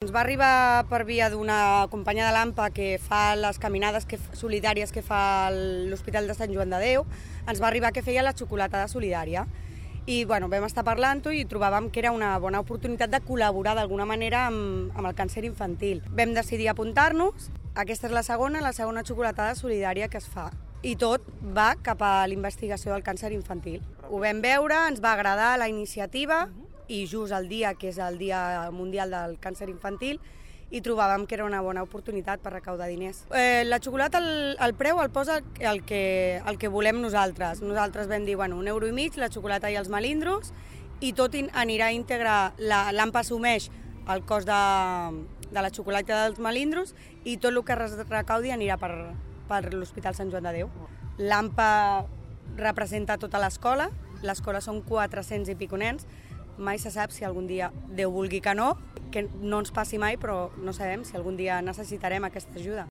Ens va arribar per via d'una companya de l'AMPA que fa les caminades solidàries que fa l'Hospital de Sant Joan de Déu, ens va arribar que feia la xocolatada solidària. I vam estar parlant-ho i trobàvem que era una bona oportunitat de col·laborar d'alguna manera amb el càncer infantil. Vam decidir apuntar-nos, aquesta és la segona xocolatada solidària que es fa. I tot va cap a la investigació del càncer infantil. Ho vam veure, ens va agradar la iniciativa, i just el dia, que és el Dia Mundial del Càncer Infantil, i trobàvem que era una bona oportunitat per recaudar diners. La xocolata, el preu el posa el que volem nosaltres. Nosaltres vam dir, €1,5, la xocolata i els melindros, i tot anirà íntegre, l'AMPA assumeix el cost de la xocolata i dels melindros, i tot el que es recaudi anirà per l'Hospital Sant Joan de Déu. L'AMPA representa tota l'escola són 400 i pico nens. Mai se sap si algun dia, Déu vulgui que no ens passi mai, però no sabem si algun dia necessitarem aquesta ajuda.